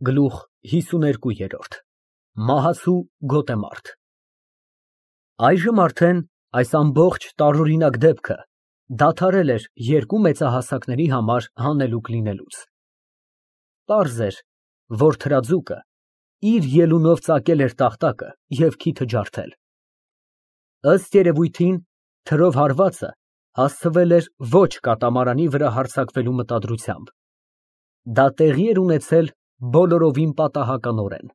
Գլուխ 52 Մահացու գոտեմարտ Այժմ արդեն այս ամբողջ տարօրինակ դեպքը դադարել էր երկու մեծահասակների համար հանելուկ լինելուց։ Պարզ էր, որ թրաձուկը իր ելունով ծակել էր տախտակը և քիթը ջարդել։ Ըստ երևույթին, թրով հարվածը հասցվել էր ոչ կատամարանի վրա հարձակվելու մտադրությամբ։ Դա տեղի էր ունեցել բոլորովին պատահականորեն։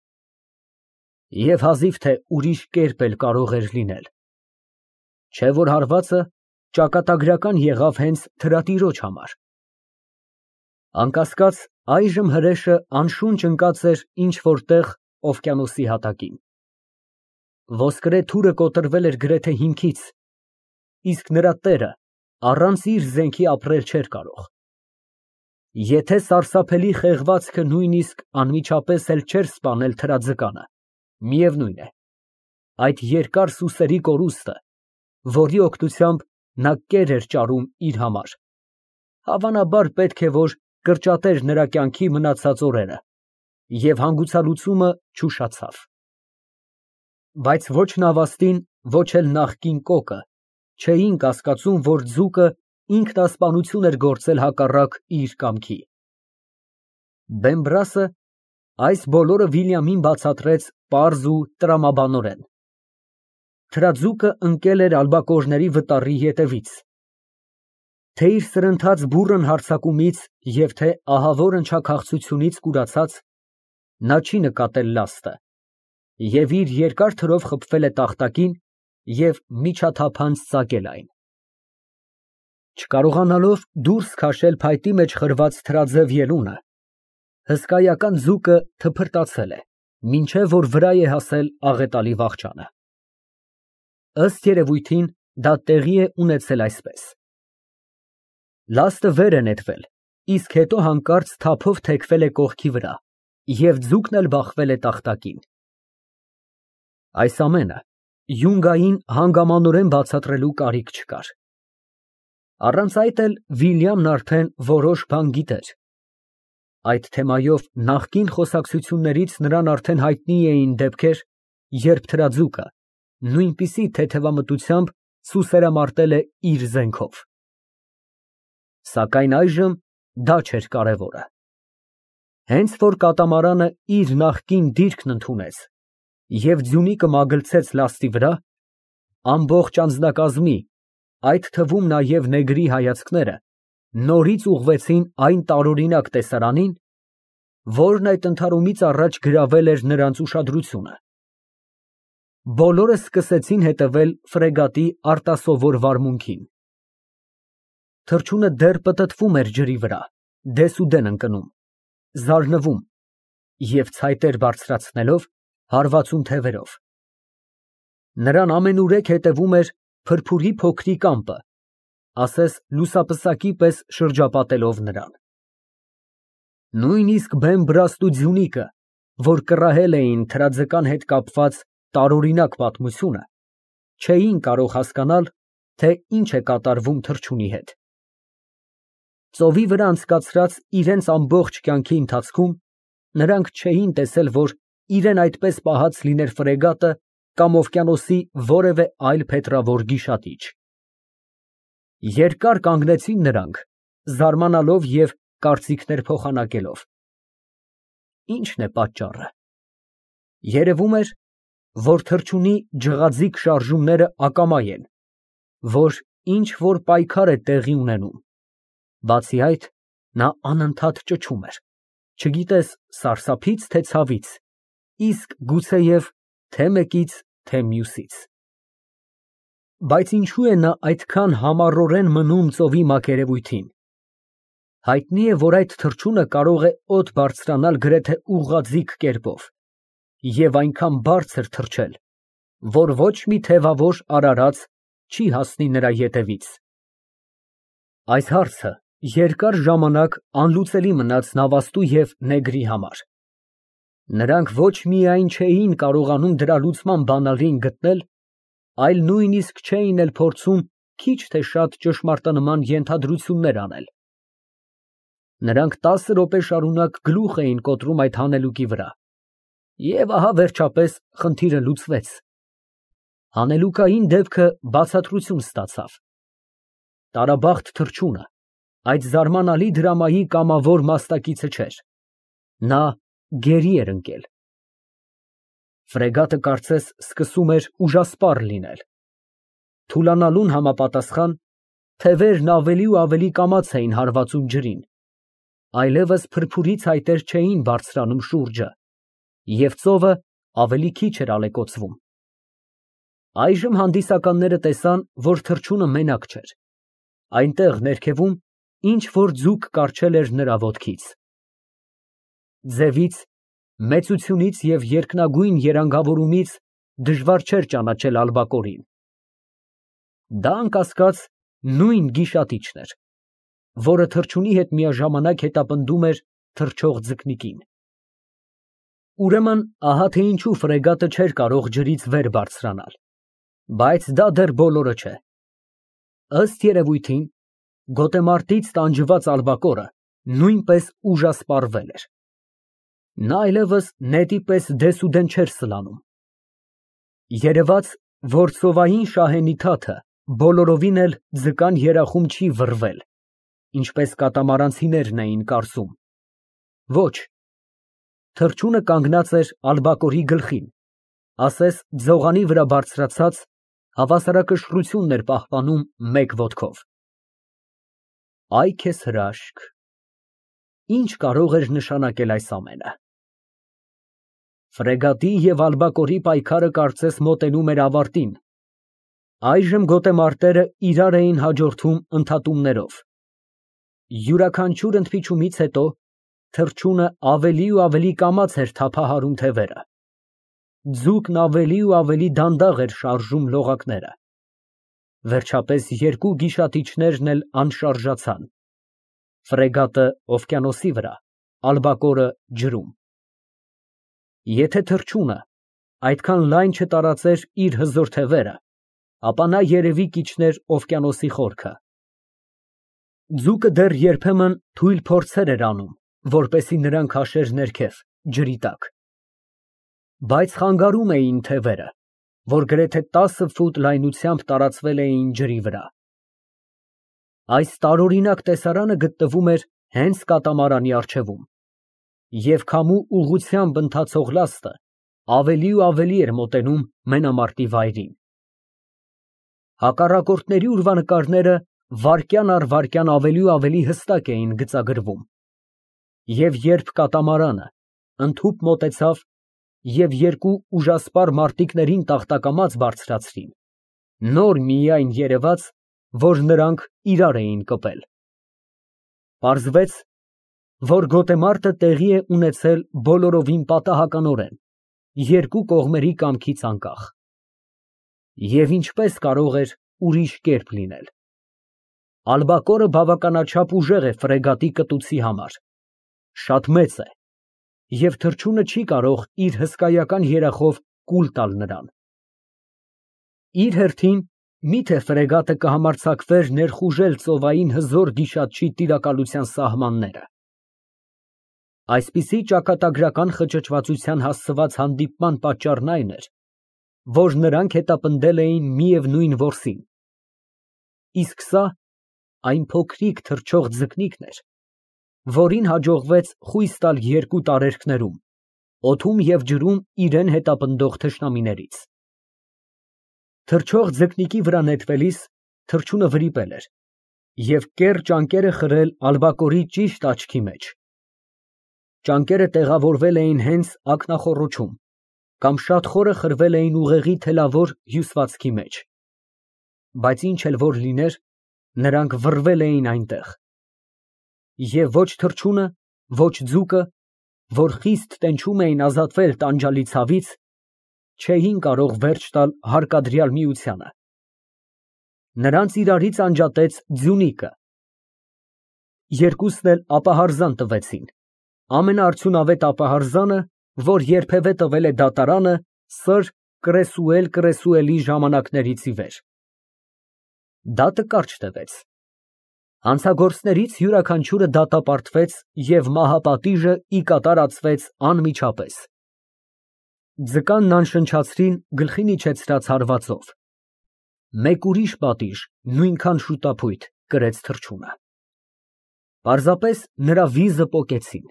Եվ հազիվ թե ուրիշ կերպ էլ կարող էր լինել։ Չէ որ հարվածը ճակատագրական եղավ հենց թրատիրոջ համար։ Անկասկած, այժմ հրեշը անշունչ ընկած էր ինչ֊որ տեղ օվկիանոսի հատակին։ Ոսկրե թուրը կոտրվել էր գրեթե հիմքից, իսկ նրա տերը առանց իր զենքի ապրել չէր կարող։ Եթե սարսափելի խեղվածքը նույնիսկ անմիջապես էլ չէր սպանել թրաձկանը, միևնույն է, այդ երկար սուսերի կորուստը, որի օգնությամբ նա կեր էր ճարում իր համար, հավանաբար պետք է որ կրճատեր նրա կյանքի մնացած օրերը, և հանգուցալուծումը չուշացավ։ Բայց ոչ նավաստին, ոչ էլ նախկին կոկը չէին կասկածում, որ ձուկը ինքնասպանություն էր գործել հակառակ իր կամքի։ Բեմբրասը այս բոլորը Վիլյամին բացատրեց պարզ ու տրամաբանորեն։ Թրաձուկը ընկել էր ալբակոռների վտարի ետևից։ Թե իր սրընթաց բուռն հարձակումից և թե ահավոր ընչաքաղցությունից կուրացած, նա չի նկատել լաստը և իր երկար թրով խփվել է տախտակին և միջաթափանց ծակել այն։ Չկարողանալով դուրս քաշել փայտի մեջ խրված թրաձև ելունը, հսկայական ձուկը թփրտացել է, մինչև որ վրա է հասել աղետալի վախճանը։ Ըստ երևույթին, դա տեղի է ունեցել այսպես. Լաստը վեր է նետվել, իսկ հետո հանկարծ թափով թեքվել է կողքի վրա և ձուկն էլ բախվել է տախտակին։ Այս ամենը յունգային հանգամանորեն բացատրելու կարիք չկար։ Առանց այդ էլ Վիլյամն արդեն որոշ բան գիտեր։ Այդ թեմայով նախկին խոսակցություններից նրան արդեն հայտնի էին դեպքեր, երբ թրաձուկը նույնպիսի թեթևամտությամբ սուսերամարտել է իր զենքով։ Սակայն այժմ դա չէր կարևորը։ Հենց որ կատամարանը իր նախկին դիրքն ընդունեց և ձյունիկը մագլցեց լաստի վրա, ամբողջ անձնակազմի, այդ թվում նաև նեգրի հայացքները նորից ուղղվեցին այն տարօրինակ տեսարանին, որն այդ ընդհարումից առաջ գրավել էր նրանց ուշադրությունը։ Բոլորը սկսեցին հետևել ֆրեգատի արտասովոր վարմունքին։ Թռչունը դեռ պտտվում էր ջրի վրա, դեսուդեն ընկնում, զարնվում և ցայտեր բարձրացնելով հարվածուն թևերով։ Նրան ամենուրեք հետևում էր փրփուրի փոքրիկ ամպը, ասես լուսապսակի պես շրջապատելով նրան։ Նույնիսկ Բեմբրաստ ու ձյունիկը, որ կռահել էին թրաձկան հետ կապված տարօրինակ պատմությունը, չէին կարող հասկանալ, թե ինչ է կատարվում թռչունի հետ։ Ծովի վրա անցկացրած իրենց ամբողջ կյանքի ընթացքում նրանք չէին տեսել, որ իրեն այդպես պահած լիներ ֆրեգատը կամ օվկիանոսի որևէ այլ փետրավոր գիշատիչ։ Երկար կանգնեցին նրանք, զարմանալով և կարծիքներ փոխանակելով։ Ի՞նչն է պատճառը։ Երևում էր, որ թռչունի ջղաձիգ շարժումները ակամա են, որ ինչ֊որ պայքար է տեղի ունենում։ Բացի այդ, նա անընդհատ ճչում էր, չգիտես սարսափի՞ց, թե ցավից, իսկ գուցեև թե մեկից, թե մյուսից։ Բայց ինչո՞ւ է նա այդքան համառորեն մնում ծովի մակերևույթին։ Հայտնի է, որ այդ թռչունը կարող է օդ բարձրանալ գրեթե ուղղաձիգ կերպով և այնքան բարձր թռչել, որ ոչ մի թևավոր արարած չի հասնի նրա ետևից։ Այս հարցը երկար ժամանակ անլուծելի մնաց նավաստու և նեգրի համար։ Նրանք ոչ միայն չէին կարողանում դրա լուծման բանալին գտնել, այլ նույնիսկ չէին էլ փորձում քիչ թե շատ ճշմարտանման ենթադրություններ անել։ Նրանք 10 րոպե շարունակ գլուխ էին կոտրում այդ հանելուկի վրա, և ահա վերջապես խնդիրը լուծվեց։ Հանելուկային դեպքը բացատրություն ստացավ։ Տարաբախտ թռչունը այդ զարմանալի դրամայի կամավոր մասնակիցը չէր, նա գերի էր ընկել։ Ֆրեգատը կարծես սկսում էր ուժասպառ լինել։ Թուլանալուն համապատասխան թևերն ավելի ու ավելի կամաց էին հարվածում ջրին, այլևս փրփուրի ցայտեր չէին բարձրանում շուրջը, և ծովը ավելի քիչ էր ալեկոծվում։ Այժմ հանդիսականները տեսան, որ թռչունը մենակ չէր։ Այնտեղ ներքևում ինչ-որ ձուկ կառչել էր նրա ոտքից։ Ձևից, մեծությունից և երկնագույն երանգավորումից դժվար չէր ճանաչել ալբակորին։ Դա անկասկած նույն գիշատիչն էր, որը թռչունի հետ միաժամանակ հետապնդում էր թռչող ձկնիկին։ Ուրեմն, ահա թե ինչու ֆրեգատը չէր կարող ջրից վեր բարձրանալ, բայց դա դեռ բոլորը չէ։ Ըստ երևույթին, գոտեմարտից տանջված ալբակորը նույնպես ուժասպառվել էր։ Նա այլևս նետի պես դեսուդեն չէր սլանում։ Երևաց, որ ծովային շահենի թաթը բոլորովին էլ ձկան երախում չի վռվել, ինչպես կատամարանցիներն էին կարծում։ Ոչ, թռչունը կանգնած էր ալբակորի գլխին, ասես ձողանի վրա բարձրացած, հավասարակշռությունն էր պահպանում մեկ ոտքով։ Այ քեզ հրաշք, ինչ կարող էր նշանակել այս ամենը։ Ֆրեգատի և ալբակորի պայքարը կարծես մոտենում էր ավարտին։ Այժմ գոտեմարտերը իրար էին հաջորդում ընդհատումներով։ Յուրաքանչյուր ընդմիջումից հետո թռչունը ավելի ու ավելի կամաց էր թափահարում թևերը։ Ձուկն ավելի ու ավելի դանդաղ էր շարժում լողակները։ Վերջապես երկու գիշատիչներն էլ անշարժացան։ Ֆրեգատը օվկիանոսի վրա, ալբակորը ջրում։ Եթե թռչունը այդքան լայն չտարածեր իր հզոր թևերը, ապա նա երևի կիջներ օվկիանոսի խորքը։ Ձուկը դեռ երբեմն թույլ փորձեր էր անում, որպեսզի նրան քաշեր ներքև, ջրի տակ։ Բայց խանգարում էին թևերը, որ գրեթե 10 ֆուտ լայնությամբ տարածվել էին ջրի վրա։ Այս տարօրինակ տեսարանը գտնվում էր հենց կատամարանի առջևում, և քամու ուղղությամբ ընթացող լաստը ավելի ու ավելի էր մոտենում մենամարտի վայրին։ Հակառակորդների ուրվանկարները վայրկյան առ վայրկյան ավելի ու ավելի հստակ էին գծագրվում, և երբ կատամարանը ընդհուպ մոտեցավ և երկու ուժասպառ մարտիկներին տախտակամաց բարձրացրին, նոր միայն երևաց, որ նրանք իրար էին կպել։ Պարզվեց, որ գոտեմարտը տեղի է ունեցել բոլորովին պատահականորեն, երկու կողմերի կամքից անկախ։ Եվ ինչպես կարող էր ուրիշ կերպ լինել։ Ալբակորը բավականաչափ ուժեղ է ֆրեգատի կտուցի համար, շատ մեծ է, և թռչունը չի կարող իր հսկայական երախով կուլ տալ նրան։ Իր հերթին, միթե ֆրեգատը կհամարձակվեր ներխուժել ծովային հզոր գիշատչի տիրակալության սահմանները։ Այսպիսի ճակատագրական խճճվածության հասցված հանդիպման պատճառն այն էր, որ նրանք հետապնդել էին միևնույն որսին, իսկ սա այն փոքրիկ թռչող ձկնիկն էր, որին հաջողվեց խույս տալ երկու տարերքներում, օդում և ջրում իրեն հետապնդող թշնամիներից։ Թռչող ձկնիկի վրա նետվելիս թռչունը վրիպել էր և կեռ ճանկերը խրել ալբակորի ճիշտ աչքի մեջ։ Ճանկերը տեղավորվել էին հենց ակնախոռոչում, կամ շատ խորը խրվել էին ուղեղի թելավոր հյուսվածքի մեջ, բայց ինչ էլ որ լիներ, նրանք վռվել էին այնտեղ։ Եվ ոչ թռչունը, ոչ ձուկը, որ խիստ տենչում էին ազատվել տանջալի ցավից, չէին կարող վերջ տալ հարկադրյալ միությանը։ Նրանց իրարից անջատեց ձյունիկը։ Երկուսն էլ ապահարզան տվեցին, ամենաարդյունավետ ապահարզանը, որ երբևէ տվել է դատարանը սր Կրեսուելի ժամանակներից ի վեր։ Դատը կարճ տևեց։ Հանցագործներից յուրաքանչյուրը դատապարտվեց և մահապատիժը ի կատարածվեց անմիջապես։ Ձկանն անշնչացրին գլխին իջեցրած հարվածով։ Մեկ ուրիշ պատիժ, նույնքան շուտափույթ, կրեց թռչունը։ Պարզապես նրա վիզը պոկեցին։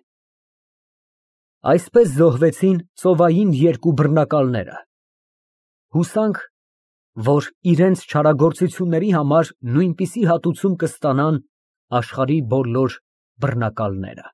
Այսպես զոհվեցին ծովային երկու բռնակալները։ Հուսանք, որ իրենց չարագործությունների համար նույնպիսի հատուցում կստանան աշխարհի բոլոր բռնակալները։